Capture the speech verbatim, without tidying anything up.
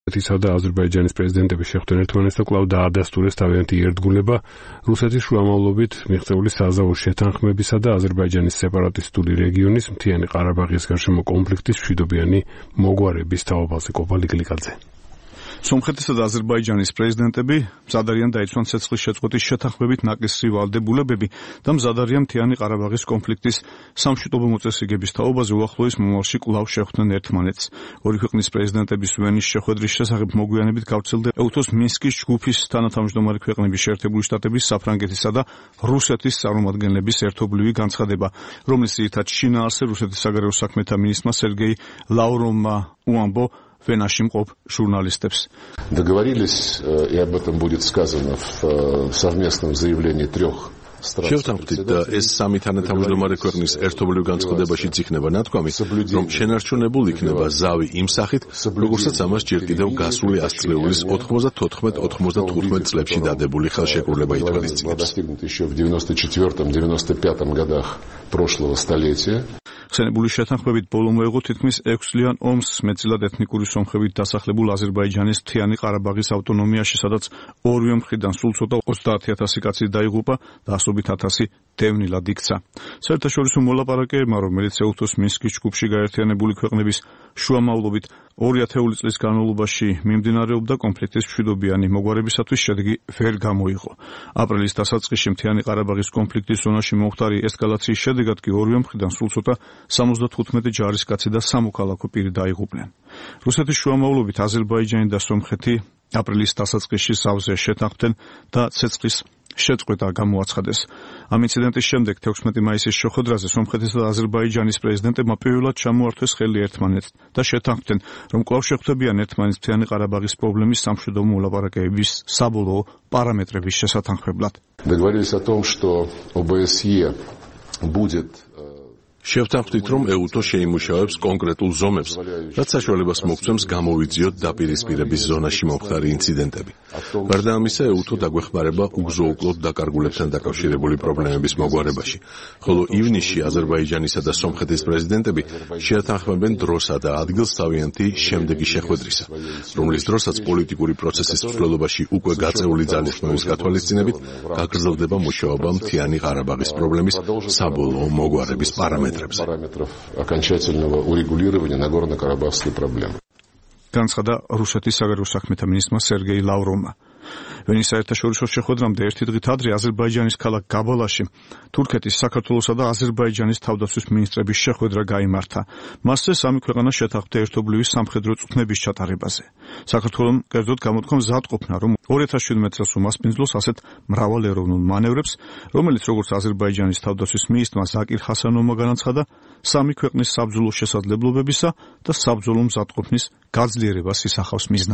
რუსეთისა და აზერბაიჯანის პრეზიდენტების შეხვდნენ ერთმანეთს და კვლავ დაადასტურეს თავიანთი ერთგულება რუსეთის შუამავლობით მიღწეული საზავო შეთანხმებისა და აზერბაიჯანის სეპარატისტული რეგიონის მთიანი ყარაბაღის გარშემო კონფლიქტის მშვიდობიანი მოგვარების თაობაზე. კოპალი გლიკაძე. სომხეთისა და აზერბაიჯანის პრეზიდენტები მზად არიან დაიცვან ცეცხლის შეწყვეტის შეთანხმებით ნაკისრი ვალდებულებები და მზად არიან მთიანი ყარაბაღის კონფლიქტის სამშვიდობო მოწესრიგების თაობაზე უახლოეს მომავალში კვლავ შეხვდნენ ერთმანეთს. ორი ქვეყნის პრეზიდენტების ვენის შეხვედრის შესახებ მოგვიანებით გავრცელდა ეუთოს მინსკის ჯგუფის თანათავმჯდომარე ქვეყნების შეერთებული შტატების, საფრანგეთისა და რუსეთის წარმომადგენლების ერთობლივი განცხადება, რომლის ძირითად შინაარსზე რუსეთის საგარეო საქმეთა მინისტრმა სერგეი ლავროვმა უამბო венаши мყოფ журналистებს. Договорились, и об этом будет сказано в совместном заявлении трех стран. შევთანხმდით და ეს სამი თანათავმჯდომარე ქვეყნის ერთობლივ განცხადებაშიც იქნება ნათქვამი, რომ შენარჩუნებულ იქნება ზავი იმ სახით, როგორცაც ამას ჯერ კიდევ გასული ასწლეულის ოთხმოცდათოთხმეტ ოცდათხმეტ წლებში დადებული ხელშეკრულება ითვალისწინებს. Достигнут еще в девяносто четвёртом девяносто пятом годах прошлого столетия. ხსენებული შეთანხმებით ბოლო მოეღო თითქმის ექვსწლიან ომს მეტწილად ეთნიკური სომხებით დასახლებულ აზერბაიჯანის მთიანი ყარაბაღის ავტონომიაში, სადაც ორივე მხრიდან სულ ცოტა ოცდაათი ათასი კაცი დაიღუპა და ასობით ათასი დევნილად იქცა. საერთაშორისო მოლაპარაკებებმა, რომელიც ეუთოს მინსკის ჯგუფში გაერთიანებული ქვეყნების შუამავლობით ორი ათეული წლის განმავლობაში მიმდინარეობდა, კონფლიქტის მშვიდობიანი მოგვარებისათვის შედეგი ვერ გამოიღო. აპრილის დასაწყისში მთიანი ყარაბაღის კონფლიქტის ზონაში მომხდარი ესკალაციის შედეგად კი ორივე მხრიდან სულ ცოტა სამოცდათხუთმეტი ჯარისკაცი და სამოქალაქო პირი დაიღუპნენ. რუსეთის შუამავლობით აზერბაიჯანი და სომხეთი აპრილის დასაწყისში სავზე შეთანხმდნენ და ცეცხლის შეწყვეტა გამოაცხადეს. ამ ინციდენტის შემდეგ თექვსმეტი მაისის შეხვედრაზე სომხეთისა და აზერბაიჯანის პრეზიდენტებმა პირველად ჩამოართვეს ხელი ერთმანეთს და შეთანხმდნენ, რომ კვლავ შეხვდებიან ერთმანეთს მთიანი ყარაბაღის პრობლემის სამშვიდობო მოლაპარაკებების საბოლოო პარამეტრების შესათანხმებლად. Договорились о том, что ОБСЕ будет შევთანხმდით, რომ ეუთო შეიმუშავებს კონკრეტულ ზომებს, რაც საშუალებას მოგცემს გამოვიძიოთ დაპირისპირების ზონაში მომხდარი ინციდენტები. გარდა ამისა, ეუთო დაგვეხმარება უგზო-უკლოდ დაკარგულებთან დაკავშირებული პრობლემების მოგვარებაში, ხოლო ივნისში აზერბაიჯანისა და სომხეთის პრეზიდენტები შეათანხმებენ დროსა და ადგილს თავიანთი შემდეგი შეხვედრისა, რომლის დროსაც პოლიტიკური პროცესის მსვლელობაში უკვე გაწეული ძალისხმევის გათვალისწინებით გაგრძელდება მუშაობა მთიანი ყარაბაღის პრობლემის საბოლოო მოგვარების პარამეტრებში. параметров окончательного урегулирования Нагорно-Карабахской проблемы. განცხადა რუსეთის საგარეო საქმეთა მინისტრმა სერგეი ლავროვმა. ვენის საერთაშორისო შეხვედრამდე ერთი დღით ადრე აზერბაიჯანის ქალაქ გაბალაში თურქეთის, საქართველოსა და აზერბაიჯანის თავდაცვის მინისტრების შეხვედრა გაიმართა. მასზე სამი ქვეყანა შეთანხმდა ერთობლივი სამხედრო წვრთნების ჩატარებაზე. საქართველომ კერძოდ გამოთქვა მზადყოფნა, რომ ორი ათას შვიდმეტ წელს უმასპინძლოს ასეთ მრავალეროვნულ მანევრებს, რომელიც როგორც აზერბაიჯანის თავდაცვის მინისტრმა ზაკირ ჰასანოვმა განაცხადა, სამი ქვეყნის საბრძოლო შესაძლებლობებისა და საბრძოლო მზადყოფნის გაძლიერებას ისახავს მიზნად.